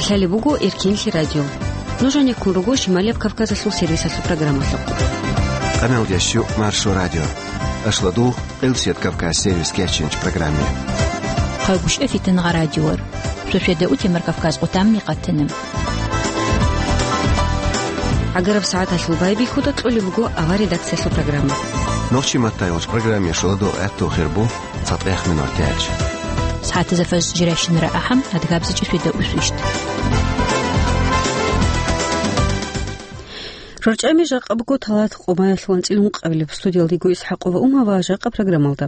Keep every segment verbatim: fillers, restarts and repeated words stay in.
Лъалеб буго Эркенлъи радио. Нуж гьанеккун руго Шималияб Кавказалъул сервисалъул программалъухъ. Къамелдящу Маршо радио. Ашладул Къилсият Кавказ сервис кеченч программе. Хъагушев Фитнагъа радиор. Шошеда утемар Кавказ къутамни къатана. ГӀагараб сагӀаталъул байбихьуда кьолеб буго авар редакциялъул программа. Нохчи маттайгъоч программе шоладо гӀатту хирбу. ЦатӀех минуталъ. СагӀатазда фажр жирайщинара ахӀан, адгабзичӀи шведа усвищ. РорчӀами жакъа буго Талат Къумаялъул анцӀил ункъабилеб. Студиялдего ИсхӀакъова Ума ва жакъа программалда.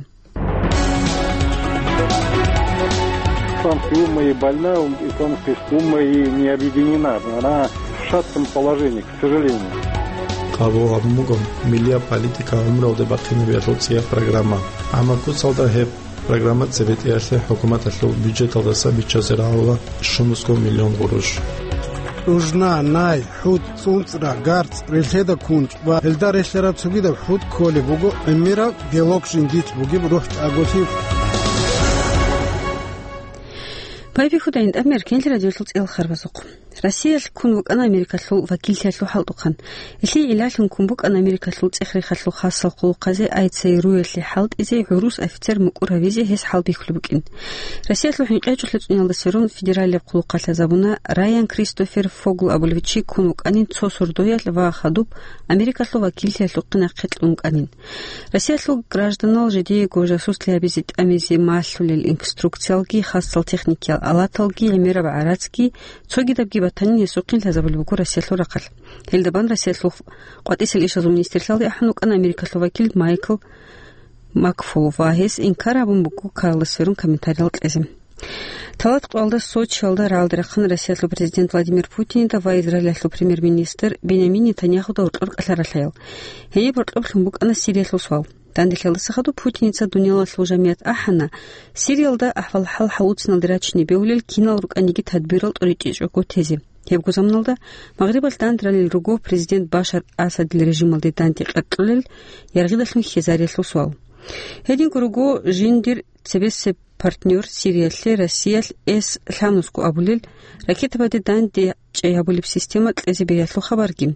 Исламская умма и больна, исламская умма и не объединена. Она в шатком положении, к сожалению. Къабул гьабун буго миллияб политика гӀумруялде бахъинабиялъул цӀияб программа. Амма куцалда гьеб программа цебетӀеялъе хӀукуматалъул бюджеталдаса биччазе рагӀула щуго миллион гъурущ. УжнагӀ, най, хӀут, цӀунцӀра, гарцӀ, релъеда кунчӀ ва гьелда релълъараб цогидаб хӀут кколеб буго гӀемераб белок жиндилъ бугеб рухӀчӀаголъи. Байбихьуда гьитӀинаб Эркенлъи радиолъул цӀиялъул харбазухъ. Россиялъ ккун вукӀана Америкалъул вакиллъиялъул хӀалтӀухъан. Гьелъие гӀиллалъун ккун букӀана Америкалъул цӀех-рехалъул хасал хъулухъазе АЦРУ-ялъе хӀалтӀизе, гӀурус офицер мукӀур гьавизе гьес хӀалбихьулеб букӀин. Россиялъул хӀинкъиячӀул хӀецӀуялдаса рун федералияб хъулухъалъ лъазабуна, Райан Кристофер Фогл абулев чи ккун вукӀанин цо сордоялъ ва хадуб Америкалъул вакиллъиялъухъе нахъе кьун вукӀанин. Россиялъул гражданал жидеего жасуслъи гьабизе тӀамизе малъулел инструкциялги, хасал техникиял алаталги, гӀемераб гӀарацги, цогидабги батанин гьесухъин лъазабулеб буго Россиялъул рахъалъ. Гьелда бан Россиялъул къватӀисел ишазул министрлъиялде ахӀун вукӀана Америкалъул вакил Майкл Макфол ва гьес инкар гьабун буго Карлос Феррун комментариял кьезе. Талат къоялда Сочиялда рагӀалде рахъана Россиялъул президент Владимир Путинида ва Израилалъул премьер-министр Бенямин Нетаньяхуда гьоркьор кӀалъаралъаял. Гьениб гьоркьоб лъун букӀана Сириялъул суал. Данделъиялдаса хадуб Путиница дуниялалъул жамият ахӀана, Сириялда ахӀвал-хӀал гьавуциналде рачине бегьулел кинал рукӀаниги тадбирал тӀуритӀичӀого тезе. Гьебго заманалда Магърибалъ данде ралел руго президент Башар Асадил режималде данде къаркьулел яргъидалъун хьезариялъул суал. Гьединго руго жиндир цебесеб партнер Сириялъе Россиялъ С лъабнусго абулел ракетабаде данде чӀей гьабулеб система кьезе бегьиялъул хабарги.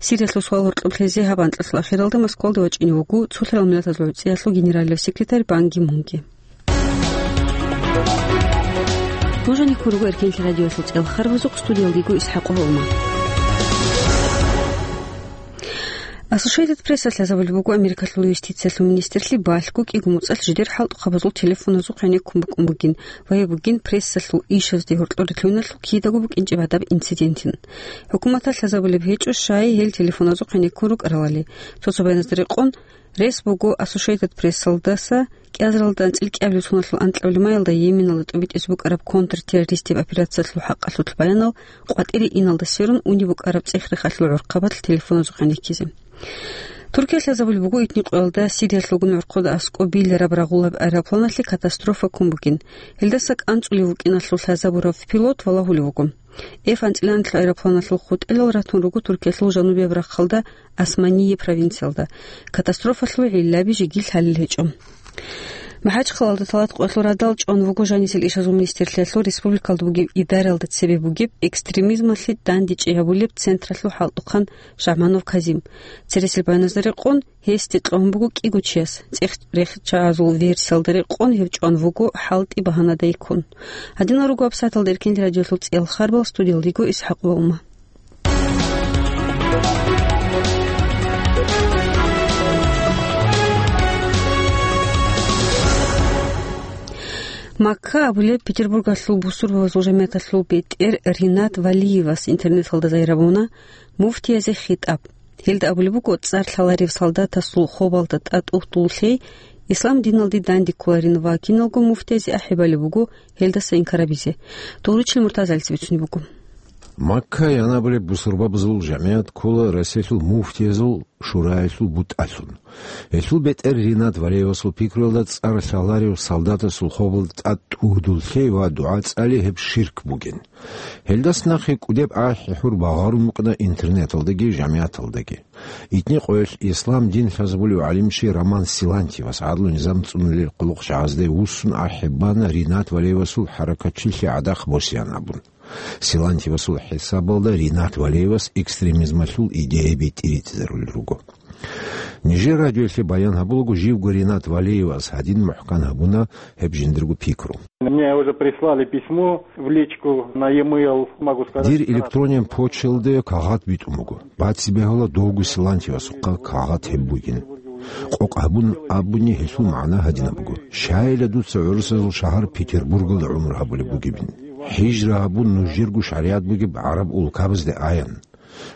Сириялъул суал гьоркьоб лъезе гьаб анкьалъул ахиралда Москвалде вачӀине вуго цолъарал миллатазул гӀуцӀиялъул генералияб секретарь Пан Ги Мунги. Нуж гьанеккун руго Эркенлъи радиоялъул цӀиялъул харбазухъ, студиялдего ИсхӀакъова Ума. Associated Press-алъ лъазабулеб буго Америкалъул юстициялъул министрлъи балъго кӀиго муцӀалъ жидер хӀалтӀухъабазул телефоназухъ гӀенеккун букӀун бугин ва гьеб бугин прессалъул ишазде гьоркьор рилълъуналъул кидаго букӀинчӀеб гьадаб инцидентин. ХӀукуматалъ лъазабулеб гьечӀо щай гьел телефоназухъ гӀенеккун рукӀаралали. Цо-цо баяназда рекъон, рес буго Associated Press-алдаса кӀиазаралда анцӀил кӀиабилеб соналъул анкьабилеб майалда Йеменалда тӀубитӀизе букӀараб контртеррористияб операциялъул хӀакъалъулъ баянал къватӀире иналдасерун унеб букӀараб цӀех-рехалъул гӀурхъабалъ телефоназухъ гӀенеккизе. Туркиялъ лъазабулеб буго итни къоялда Сириялъулгун гӀорхъода аскӀоб билараб рагъулаб аэропланалъе катастрофа ккун бугин. Гьелдаса кӀанцӀулев вукӀиналъул лъазабурав пилот валагьулев вуго. Эф анцӀила анлъго аэропланалъул хутӀелал ратун руго Туркиялъул жанубияб рахъалда Османие провинциялда. Катастрофалъул гӀиллаби жеги лъалел гьечӀо. МахӀачхъалалда Талат къоялъул радал чӀван вуго жанисел ишазул министрлъиялъул республикалда бугеб идараялда цебе бугеб экстремизмалъе дандечӀей гьабулеб централъул хӀалтӀухъан Шагьманов Казим. Цересел баяназда рекъон, гьесде кьун буго кӀиго чияс, цӀех-рехчагӀазул версиялда рекъон гьев чӀван вуго хӀалтӀи багьанадай ккун. Гьадинал руго абсаталда Эркенлъи радиоялъул цӀиялъул харбал, студиялдего ИсхӀакъова Ума. Макка абулеб Петербургалъул бусурбабазул жамияталъул бетӀер Ринат Валиевас интернеталда зайрабуна муфтиязе хитӀаб. Гьелда абулеб буго, цӀар лъаларев солдатасул хобалда тӀатӀугьдул лъей ислам диналде данде кколарин ва киналго муфтиязе ахӀи балеб буго гьелдаса инкар гьабизе. Дугьручил Муртазалица бицунеб буго. Макка янабулеб бусурбабазул жамият ккола Россиялъул муфтиязул шураялъул бутӀалъун. Гьелъул бетӀер Ринат Валиевасул пикруялда цӀар лъаларев солдатасул хобалда тӀатӀугьдул лъей ва дугӀа цӀали гьеб ширк бугин. Гьелдас нахъе кӀудеб ахӀи-хӀур багъарун букӀана интернеталдаги жамияталдаги. Итни къоялъ ислам дин лъазабулев гӀалимчи Роман Силантьевас гӀадлу-низам цӀунулел къулухъчагӀазде вуссун ахӀи бана Ринат Валиевасул хӀаракатчилъи гӀадахъ босеян абун. Силантьевасул хӀисабалда Ринат Валеевас экстремизмалъул идеяби тӀиритӀизарулел руго. Нижер радиоялъе баян гьабулаго, живго Ринат Валеевас гьадин мухӀкан гьабуна гьеб жиндирго пикру. Мне уже прислали письмо в личку на e-mail, могу сказать. Дир электронен почталде кагъат битӀун буго. Баци бегьула довго Силантьевасухъа кагъат гьеб бугин. Къокъ гьабун абуни, гьелъул магӀна гьадинаб буго: щайила дуца гӀурусазул шагьар Петербургалда гӀумру гьабулеб бугебин. ХӀижра гьабун нужерго шаригӀат бугеб гӀараб улкабазде аян.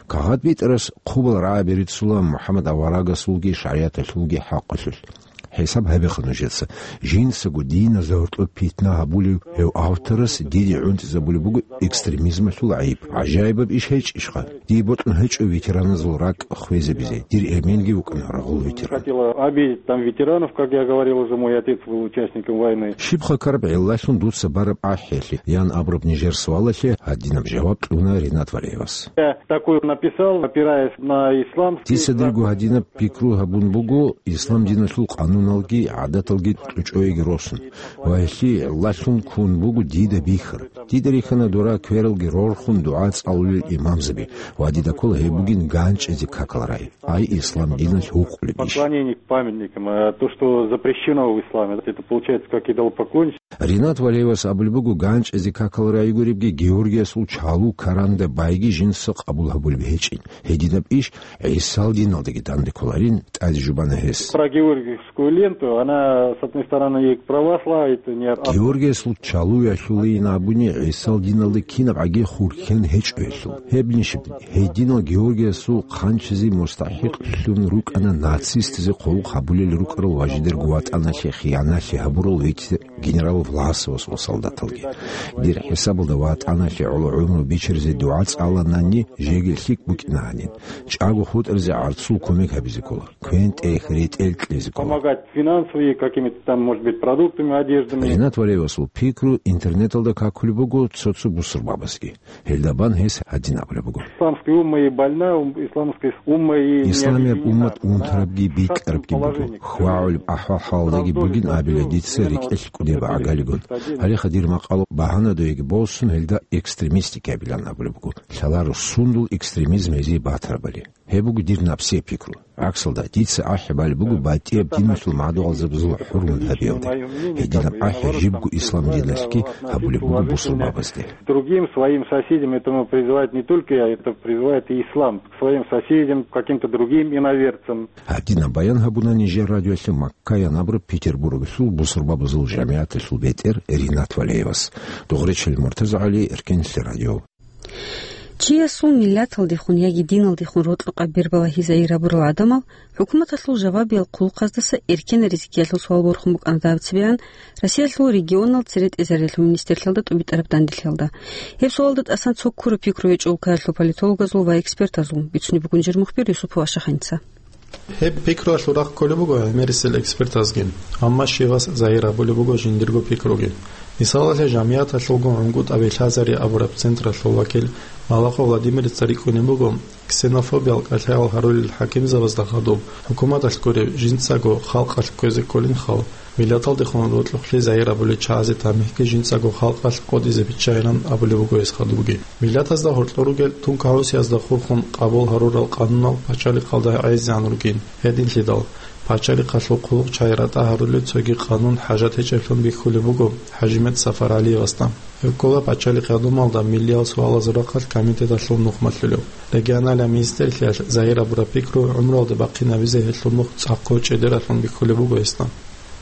Кагъат битӀарас хъубал рагӀаби рицула МухӀаммад аварагасулги шаригӀаталъулги хӀакъалъулъ. ХӀисаб гьабеха нужеца, жинцаго диназда гьоркьоб питна гьабулев гьев авторас диде гӀунтӀизабулеб буго экстремизмалъул гӀайиб. ГӀажаибаб иш гьечӀищха? Дие бокьун гьечӀо ветераназул ракӀ хвезабизе. Дир эменги вукӀана рагъул ветеран. Хотела обидеть там ветеранов, как я говорил уже, мой отец был участником войны. Щибха ккараб гӀиллалъун дуца бараб ахӀиялъе, ян абураб нижер суалалъе гьадинаб жаваб кьуна Ринат Валеевас. Я такой написал, опираясь на исламский. Дица дирго гьадинаб пикру гьабун буго, ислам диналъул къануналги гӀадаталги кьучӀоеги росун, ва гьелъие гӀиллалъун ккун буго дида бихьараб. Дида рихьана дора квералги рорхун дугӀа цӀалулел имамзаби, ва дида ккола гьеб бугин ганчӀизе какал рагӀи. Ай ислам диналъ гьукъулеб иш. Поклонение к памятникам, а то, что запрещено в исламе, это получается как идолопоклонничество. Ринат Валеевас абулеб буго, ганчӀизе какал рагӀи гуребги, Георгиясул чалу каранда байги жинца къабул гьабулеб гьечӀин. Гьединаб иш ГӀисал диналдаги данде кколарин, тӀаде жубана гьес. Про георгиевскую ленту, она, с одной стороны, и к православию, это не ар-, Георгиясул чалу ялъулейин абуни, ГӀисал диналда кинаб гӀаги хурхьен гьечӀо гьелъул. Гьеб нишиб, гьединал Георгиясул хъанчизе мустахӀикълъун рукӀана нацистазе къуллукъ гьабулел рукӀарал ва жидерго ватӀаналъе хияналъи гьабурал витӀ генерал Власовас ва солдаталги. Дир хӀисабалда, ватӀаналъе гӀоло гӀумру бичиризе дугӀа цӀаланани, жеги лъикӀ букӀина гьанин. ЧӀаго хутӀаризе гӀарцул кумек гьабизе ккола, квен-тӀех, ретӀел кьезе ккола. Помогать финансово и какими-то там, может быть, продуктами, одеждами. Ринат Валеевасул пикру интернеталда какулеб буго цо-цо бусурбабазги. Гьелда бан гьес гьадин абулеб буго. Исламская умма и больна, ум-, исламская умма и Исламияб уммат унтарабги бикьарабги буго. ХвагӀулеб ахӀвал-хӀалалдаги бугин абила дица рекӀелъ кӀудияб гӀагалигун. Гьалеха дир макъало багьанадоеги босун, гьелда экстремистики абилан абулеб буго. Лъаларо сундул экстремизм гьезие батарабали. Гьеб буго дир напсияб пикру. ГӀаксалда, дица ахӀи балеб буго батӀияб диналъул мадугӀалзабазул хӀурмат гьабиялде. Гьединаб ахӀи жибго ислам диналъги гьабулеб буго бусурбабазде. Другим своим соседям, этому призывает не только я, это призывает и ислам, к своим соседям, к каким-то другим иноверцам. Гьадинаб баян гьабуна нижер радиоялъе Маккаян абураб Петербурглъул бусурбабазул жамигӀаталъул бетӀер Ринат Валеевас. Дугъречел Муртаза ГӀали, Эркенлъи радио. Чиясул миллаталдехун яги диналдехун рокьукъаб бер балагьи загьир гьабурал гӀадамал хӀукуматалъул жавабиял хъулухъаздаса эркенаризеги ялъул суал борхун букӀана дагьаб цебегӀан Россиялъул регионал цере тӀезариялъул министрлъиялда тӀубитӀараб данделъиялда. Гьеб суалда тӀасан цо ккураб пикру гьечӀо улкаялъул политологазул ва экспертазул, бицунеб буго нижер мухбир Юсупов Ашаханица. Гьеб пикруялъул рахъ кколеб буго гӀемерисел экспертазги, амма щивас загьир гьабулеб буго жиндирго пикруги. Мисалалъе, жамигӀаталъулго гӀунгутӀаби лъазари абураб централъул вакил Малахов Владимирица рикӀкӀунеб буго, ксенофобиял кӀалъаял гьарулел хӀакимзабазда хадуб, хӀукуматалъ гуреб, жинцаго халкъалъ кквезе кколин хал, миллаталдехун рокьухълъи загьир гьабулел чагӀазе тамихӀги жинцаго халкъалъ къотӀизе биччайилан абулеб буго гьес хадубги. Миллатазда гьоркьор ругел тункагӀусиязда хурхун къабул гьарурал къанунал пачалихъалда гӀезегӀан ругин. Гьединлъидал, пачалихъалъул хъулухъчагӀи ратӀа гьарулел цоги къанун хӀажат гьечӀеблъун бихьулеб буго ХӀажимет СафаргӀалиевасда. Гьев ккола пачалихъ гӀадамалда миллиял суалазул рахъалъ комитеталъул нухмалъулев. Регионалияб министрлъиялъ загьир гьабураб пикру гӀумруялда бахъинабизе гьелъул нух цӀакъго чӀедералъун бихьулеб буго гьесда.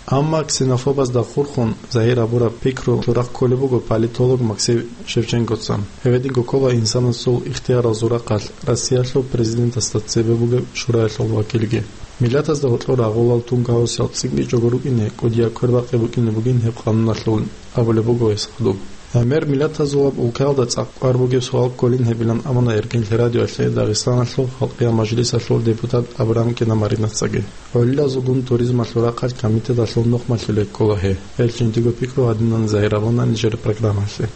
Амма ксенофобазда хурхун загьир гьабураб пикру рахъ кколеб буго политолог Максим Шевченкоца. Гьев гьединго ккола инсанасул ихтияралзул рахъалъ Россиялъул президентасда цебе бугеб шураялъул вакилги. Миллатазда гьоркьор рагъулал тункагӀусиял цӀикӀкӀичӀого рукӀине кӀудияб квербакъи букӀине бугин гьеб къануналъул, абулеб буго гьес хадуб. ГӀемер миллатазулаб улкаялда цӀакъ кӀвар бугеб суал кколин гьебилан абуна Эркенлъи радиоялъе Дагъистаналъул Халкъиял мажлисалъул депутат Абрамкина Маринацаги. ГӀолилазулгун туризмалъул рахъалъ комитеталъул нухмалъулей ккола гьей. Гьел жиндиго пикру гьадинан загьир гьабуна нижер программалъе.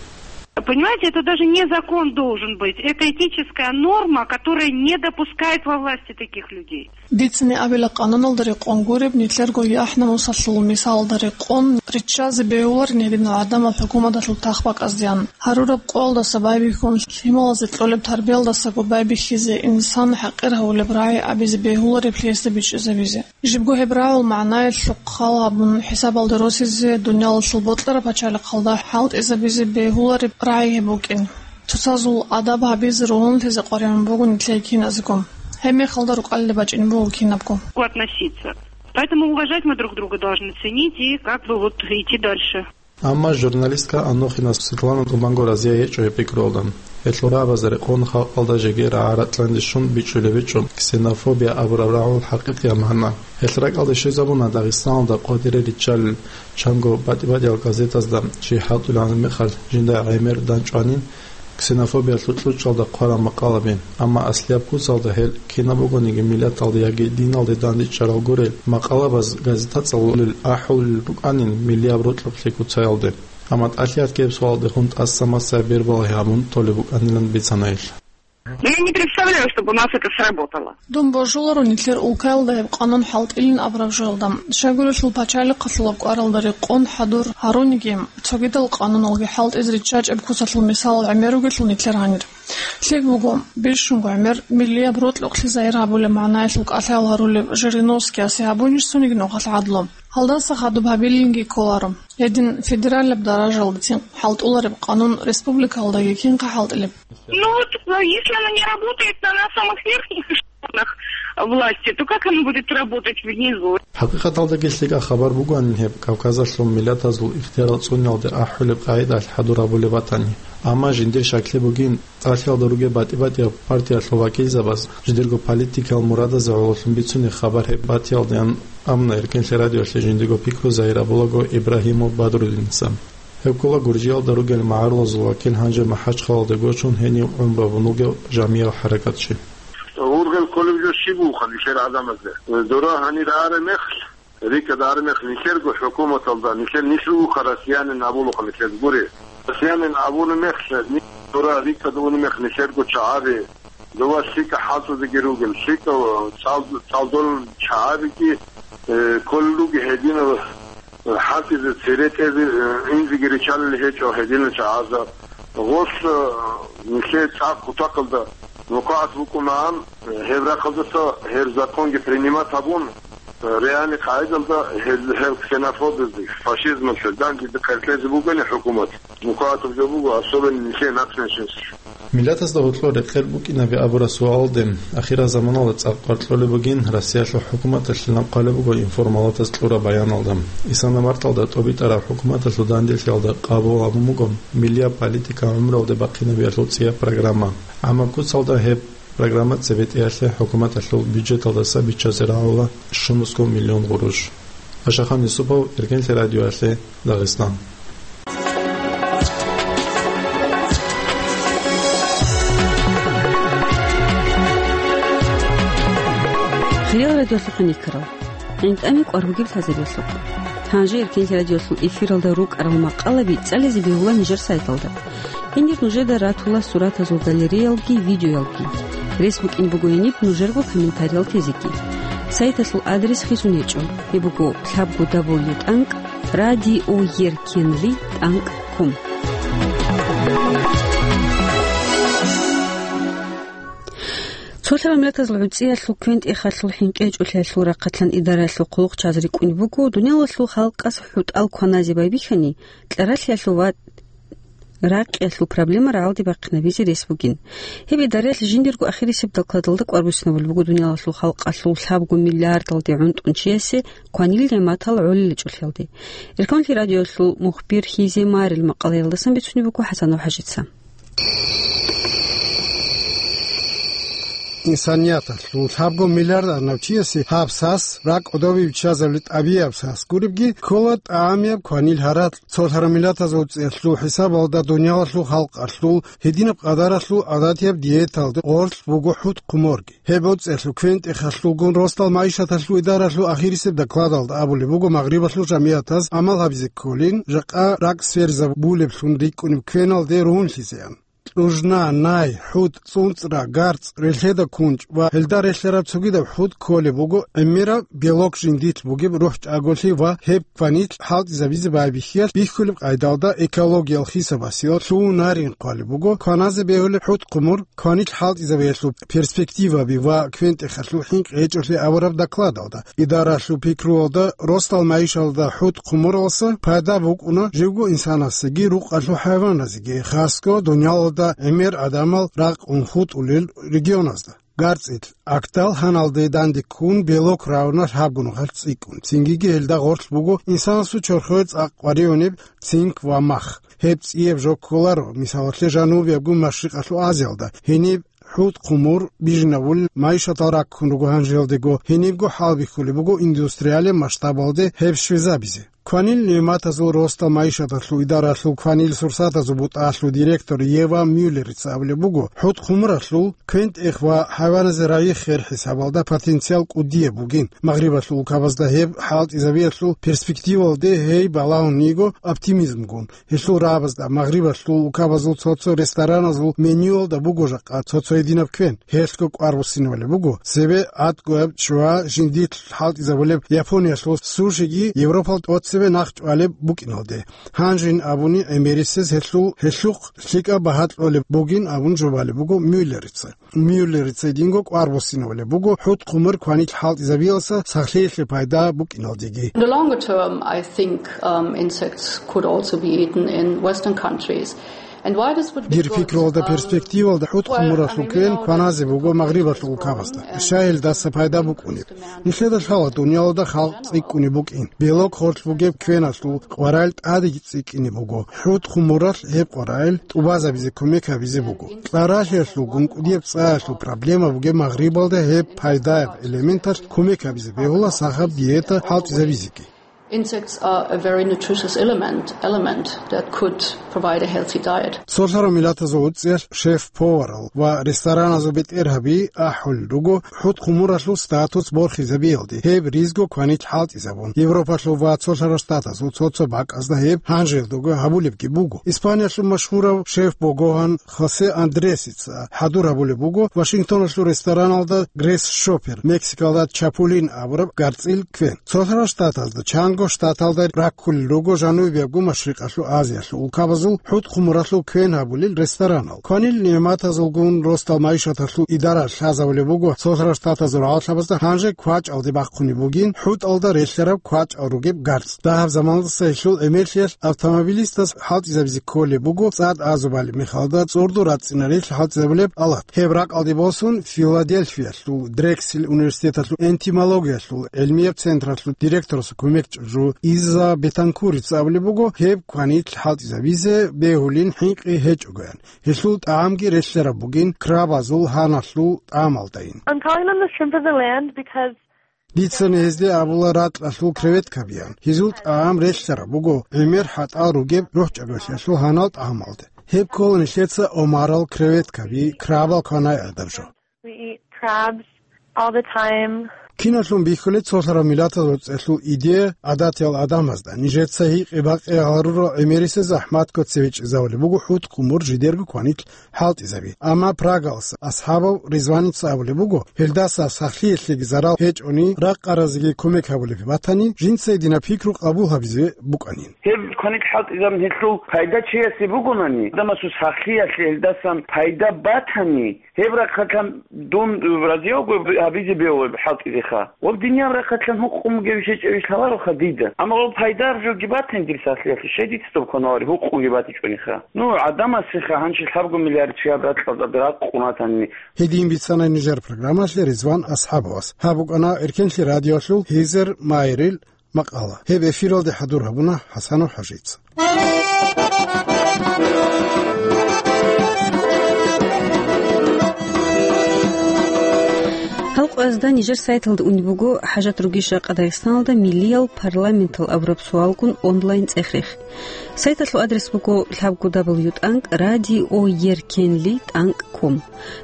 Понимаете, это даже не закон должен быть. Это этическая норма, которая не допускает во власти таких людей. Дицани абила къануналда рекъон гуреб, нилъерго яхӀ-намусалъул мисалда рекъон. Риччазе бегьуларин гьединал гӀадамал хӀукуматалъул тахбакӀаздеян. Гьарураб къоялдаса байбихьун, лъималазе кьолеб тарбиялдасаго байбихьизе, инсан хӀакъир гьавулеб рагӀи абизе бегьулареблъи гьесда бичӀчӀизабизе. Жибго гьеб рагӀул магӀнаялъухъ хал гьабун, хӀисабалда росизе, дуниялалъул бокьараб пачалихъалда хӀалтӀизабизе бегьулареб рагӀи гьеб букӀин. Цоцазул адаб гьабизе, ругьунлъизе къваригӀун буго нилъее киназего. Гьеб мехалда рукӀалде бачӀин буго кинабго. Относиться. Поэтому уважать мы друг друга должны, ценить и как бы вот идти дальше. Амма журналистка Анохина Светлана тӀубанго разия гьечӀо гьеб пикруялда. Гьелъул рагӀабазда рекъон халкъалда жеги рагӀа-ракьанде щун бичӀчӀулеб гьечӀо ксенофобия абураб рагӀул хӀакъикъияб магӀна. Гьелъ ракӀалде щвезабуна Дагъистаналда къватӀире риччалел чанго батӀи-батӀиял газетазда чи хӀалтӀулеб мехалъ жинда гӀемер данчӀванин, ксенофобиялъул кьучӀалда хъварал макъалаби, амма аслияб куцалда гьел кинаб бугониги миллаталде яги диналде дандчӀварал гурел макъалабаз газетацӀалъулел ахӀулел рукӀанин миллияб рокьулъе куцаялде. Амма тӀалъи гьаб суалдехун тӀаса-масаяб бербалагьи гьабун толеб букӀанилан бицана гьелъ. Но я не представляю, чтобы у нас это сработало. Дун божуларо нилъер улкаялда гьеб къанун хӀалтӀилин абураб жоялда. Щайгурелъул пачалихъалъулаб кӀваралда рекъон хӀадур гьаруниги, цогидал къануналги хӀалтӀизе риччачӀеб куцалъул мисалал гӀемер ругелъул нилъер гьанир. ЛъикӀ буго, бищунго гӀемер миллияб рокьукълъи загьир гьабулеб магӀнаялъул кӀалъал гьарулев Жириновскиясе гьабунищ цониги нухалъ гӀадлу. Гьалдаса хадуб гьабилинги кколаро. Гьедин федералаб даражалдацин хӀалтӀулареб къанун республикаялдаги кинха хӀалтӀилеб? Ну вот, э, если она не работает на, на самых верхних эшелонах власти, то как она будет работать внизу? ХӀакъикъаталдаги лъикӀаб хабар бугоанин гьеб Кавказалъул миллатазул ихтиярал цӀуниялде ахӀулеб къагӀидалъ хӀадур гьабулеб батани. Амма жиндир щаклъи бугин, тӀалъиялда ругел батӀи-батӀияб партиялъул вакилзабаз жидерго политикал мурадазе гӀололъун бицунеб хабар гьеб батиялдеян. Амма Эркенлъи радиоялъе жиндирго пикру загьир гьабулаго Ибрагьимов Бадрудиница. Гьеб ккола Гуржиялда ругел магӀарулазул вакил, гьанже МахӀачхъалалде гочун гьенив гӀумру гьабун вугев жамиял хӀаракатчи. Ургъел кколеб жо щиб бугоха нилъер гӀадамазда? Дора гьанир араб мехалъ, рикӀкӀад араб мехалъ нилъерго хӀукуматалда, нилъер нилъ ругоха россиянин абулаха нилъер гури. Россиянин абуни мехалъ, нилъ дора рикӀкӀад уни мехалъ нилъерго чагӀаби, дова лъикӀа хӀалтӀизеги ругел, лъикӀа цӀал-, цӀалдолел чагӀабиги, э, кколел руги гьединал хӀалтӀизе цере тӀезе, э, инзеги ричалел гьечӀо гьединал чагӀазда. Гъос, э, нилъее цӀакъ кутакалда нукагӀат букӀунагӀан, э, гьеб рахъалдаса гьеб законги принимат гьабун, э, реальный къагӀидалда гьел, гьел ксенофобиялде, фашизмалъе данде къертлъезе бугони хӀукумат. МукӀугӀатаб жо буго, особенно нилъее нацменьшинство. Миллатазда гьоркьор рекъел букӀинаби абураб суалалде ахирал заманалда цӀакъ къваркьулеб бугин Россиялъул хӀукуматалъе нахъвалеб буго информалатаз кьураб баяналда. Исана марталда тӀобитӀараб хӀукуматалъул данделъиялда къабул гьабун буго миллияб политика гӀумруялде бахъинабиялъул цӀияб программа. Амма куцалда гьеб программа цебетӀеялъе хӀукуматалъул бюджеталдаса биччазе рагӀула щунусго миллион гъурущ. Ашахан Юсупов, Эркенлъи радиоялъе, Дагъистан. Хириял радиолъухъ никарал. ГӀинтӀами кӀвар бугеб лъазаревлъухъ. Гьанже Эркенлъи радиолъул эфиралда рукӀарал макъалаби цӀализе бегьула нижер сайталда. Гьенир нужеда ратула суратазул галереялги, видеоялги. Рес букӀин буго гьениб нужерго комментариял тезеги. Сайталъул адрес хисун гьечӀо. Гьеб буго лъабго дабл ю тӀанкӀ радиоеркенли тӀанкӀ ком. Цолъарал миллатазул гӀуцӀиялъул квен-тӀехалъул хӀинкъи гьечӀолъиялъул рахъалъан идараялъул хъулухъчияз рикӀкӀунеб буго дуниялалъул халкъас хӀутӀал кваназе байбихьани, кьаралъиялъул ва ракъиялъул проблема рагӀалде бахъинабизе рес бугин. Гьеб идараялъ жиндирго ахирисеб докладалда кӀвар буссинабулеб буго дуниялалъул халкъалъул лъабго миллиардалде гӀунтӀун чиясе кванил нигӀматал гӀолиличӀолъиялде. Эркенлъи радиоялъул мухбир Хизе Марил макъалаялдасан бицунеб буго ХӀасанов ХӀажица. Инсанияталъул лъабго миллиард арнав чиясе гьаб сас, ракӀ кӀодобе биччазабулеб тӀабигӀияб сас гуребги, ккола тӀамияб кванил гьаракь. Цолъарал миллатазул гӀуцӀиялъул хӀисабалда дуниялалъул халкъалъул гьединаб къадаралъул гӀадатияб диеталда гъорлъ буго хӀутӀ-хъуморги. Гьеб гӀуцӀиялъул квен-тӀехалъулгун росдал магӀишаталъул идаралъул ахирисеб докладалда абулеб буго магърибалъул жамигӀатаз гӀамал гьабизе кколин, жакъа ракӀ сверизабулеблъун рикӀкӀунеб квеналде ругьунлъизеян. кьужна, най, хӀутӀ, цӀунцӀра, гарцӀ, релъеда кунчӀ ва гьелда релълъараб цогидаб хӀутӀ кколеб буго гӀемераб белок жиндилъ бугеб рухӀчӀаголъи ва гьеб кванилъ хӀалтӀизабизе байбихьиялъ бихьулеб къайдалда экологиял хисабасиялъ лъугьунарин хъвалеб буго кваназе бегьулеб хӀутӀ-хъумур, кванилъ хӀалтӀизабиялъул перспективаби ва квен-тӀехалъул хӀинкъи гьечӀолъи абураб докладалда. Идаралъул пикруялда, росдал майишалда хӀутӀ-хъумуралса пайда букӀуна живго инсанасеги рукъалъул хӀайваназеги, хасго дунялалда гӀемер гӀадамал ракъун хутӀулел регионазда. ГарцӀил Актал гьаналде данде ккун, белок равна лъабго нухалъ цӀикӀкӀун. Цингиги гьелда гъорлъ буго инсанасул чорхое цӀакъ къваригӀунеб цинк ва мах. Гьеб цӀияб жо кколаро, мисалалъе, Жанубиябго Машрикъалъул Азиялда. Гьениб хӀутӀ-хъумур бижинабулел майишатал раккун руго гьанжелдего, гьенибго хӀалбихьулеб буго индустриалияб масштабалде гьеб щвезабизе. Кванил нигӀматазул росдал майишаталъул идаралъул кванил сурсатазул бутӀалъул директор Ева Мюллерица абулеб буго, хӀутӀ-хъумуралъул квен-тӀех ва хӀайваназе рагӀи-хер хӀисабалда потенциал кӀудияб бугин. Магърибалъул улкабазда гьеб хӀалтӀизабиялъул перспективалде гьей балагьун йиго оптимизмгун. Гьелъул рагӀабазда Магърибалъул улкабазул цо-цо рестораназул менюялда буго жакъа цо-цо гьединаб квен. Гьелъго кӀвар буссинабулеб буго, цебе гӀатӀгояб ччугьа жиндилъ хӀалтӀизабулеб Япониялъул сушиги Европал тӀоцебе нахъ чӀвалеб букӀиналде. Гьанжин абуни, гӀемерисез гьелъул гьелъухъ лъикӀаб багьа кьолеб бугин абун жубалеб буго Мюллерица. Мюллерица гьединго кӀвар буссинабулеб буго хӀутӀ-хъумур кванилъ хӀалтӀизабиялса сахлъиялъе пайда букӀиналдеги. In the longer term, I think, um, insects could also be eaten in Western countries. And why this would be Дир good, пикруялда, um, перспективалда хӀутӀ-хъумуралъул квен кваназе буго Магърибалъул улкабазда. Щай гьелдаса пайда букӀунеб? Нилъеда лъала дунялалда халкъ цӀикӀкӀунеб букӀин. Белок гъорлъ бугеб квеналъул къварал тӀадеги цӀикӀкӀине буго. ХӀутӀ-хъумуралъ гьеб къварал тӀубазабизе кумек гьабизе буго. Кьаралъиялъулгун кӀудияб цӀаялъул проблема бугеб Магърибалда гьеб пайдаяб элементалъ кумек гьабизе бегьула сахаб диета хӀалтӀизабизеги. Insects are a very nutritious element, element that could provide a healthy diet. Цолъарав миллатазул уцӀцӀиялъ шеф-поварал ва рестораназул бетӀергьаби ахӀулел руго хӀутӀ-хъумуралъул статус борхизабиялде, гьеб ризго кванилъ хӀалтӀизабун. Европалъул ва Цолъарав Штатазул цо-цо бакӀазда гьеб гьанжелдаго гьабулебги буго. Испаниялъул машгьурав шеф богогьан Хосе Андресица хӀадур гьабулеб буго Вашингтоналъул рестораналда Грейс Шоппер, Мексикалда Чапулин абураб гарцӀил квен. Цолъарав Штатазда, чанго штаталда раккулел руго Жанубиябго Машрикъалъул Азиялъул улкабазул хӀутӀ-хъумуралъул квен гьабулел ресторанал. Кванил нигӀматазулгун росдал майишаталъул идара лъазабулеб буго Цолъарав Штатазул рагӀалъабазда гьанже квачӀалде бахъунеб бугин хӀутӀалда релълъараб квачӀал ругеб гарцӀ. Дагьаб заманалдаса гьелъул гӀемерлъиялъ автомобилистаз хӀалтӀизабизе кколеб буго цӀад азубали мехалда цӀурду рацӀцӀинарилъ хӀалтӀизабулеб алат. Гьеб ракӀалде босун, Филадельфиялъул Дрексел университеталъул энтомологиялъул гӀилмияб централъул директорасул кумекчӀужу Иза Бетанкурица абулеб буго, гьеб кванилъ хӀалтӀизабизе бегьулин хӀинкъи гьечӀогоян. Гьелъул тӀагӀамги релълъараб бугин крабазул гьаналъул тӀагӀамалдайин. I'm calling them the shrimp of the land because Дицани гьезде абула ракьалъул креветкабиян. Гьезул тӀагӀам релълъараб буго гӀемер хӀатӀал ругеб рухӀчӀаголъиялъул гьанал тӀагӀамалде. Гьеб ккола нилъеца омарал, креветкаби, крабал кванай гӀадаб жо. We eat crabs all the time. Киналъун бихьулеб цолъарав миллатазул цӀехул идея гӀадатиял гӀадамазда, нижеца гьикъи-бакъи гьарурал гӀемерисез захӀматго цеве чӀезавулеб буго хӀутӀ-хъумур жидерго кванилъ хӀалтӀизаби. Амма Прагалъ асхӀабав Ризваница абулеб буго, гьелдаса сахлъиялъеги зарал гьечӀони, ракъаразеги кумек гьабулеб батани, жинца гьединаб пикру къабул гьабизе букӀанин. Гьеб кванилъ хӀалтӀизабун гьелъул пайда чиясе бугонани, гӀадамасул сахлъиялъе гьелдасан пайда батани, гьеб рахъалъан дун разиявго гьабизе бегьулеб хӀалтӀизеха. Ва диниял рахъалъан гьукъумги вишечӀев иш лъалароха дида. Амма ва пайдаб жоги батани дир сахлъиялъе, щай дица доб кванавари гьукъуги батичӀониха. Ну, гӀадамасеха гьанже лъабго миллиард чиял ракьалда ракъун ватани. Гьедин бицана нижер программалъе Ризван Асхабовас. Гьаб букӀана Эркенлъи радиолъул Гьизер Майрил макъала. Гьеб эфиралде хӀадур гьабуна ХӀасанов ХӀажица. Гьал къоязда нижер сайталда унеб буго хӀажат ругищ жакъа Дагъистаналда миллиял парламентал абураб суалгун онлайн цӀех-рех. Сайталъул адрес буго лъабго дабл ю тӀанкӀ радио еркенли тӀанкӀ ком.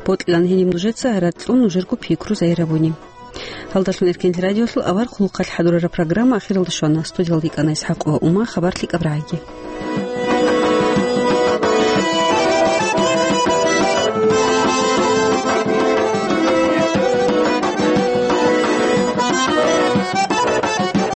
Бокьилан гьениб нужеца гьаракь кьун нужерго пикру загьирабуни. Гьалдалъун Эркенлъи радиолъул авар хъулухъалъ хӀадурараб программа ахиралде щвана. Студиялда йикӀана ИсхӀакъ ва Ума. Хабар лъикӀаб рагӀиги.